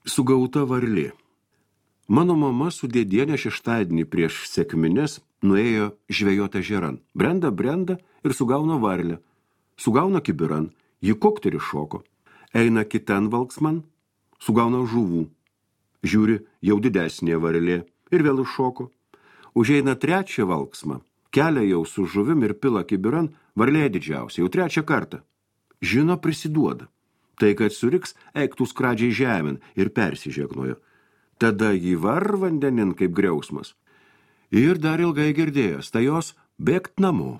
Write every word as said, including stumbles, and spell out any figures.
Sugauta varlė. Mano mama su dėdienė šeštadienį prieš sekmines nuėjo žvejoti ežeran. Brenda, brenda ir sugauna varlę. Sugauna kibiran, ji kokt ir iššoko. Eina kitan valksman, sugauna žuvų. Žiūri, jau didesnė varlė ir vėl iššoko. Užeina trečią valksmą, kelia jau su žuvim ir pila kibiran, varlė didžiausia, jau trečią kartą. Žino, prisiduoda. Tai, kad suriks, eiktų skradžiai žemėn ir persižegnojo. Tada jį var vandenin kaip griausmas. Ir dar ilgai girdėjęs, tai jos bėgt namo.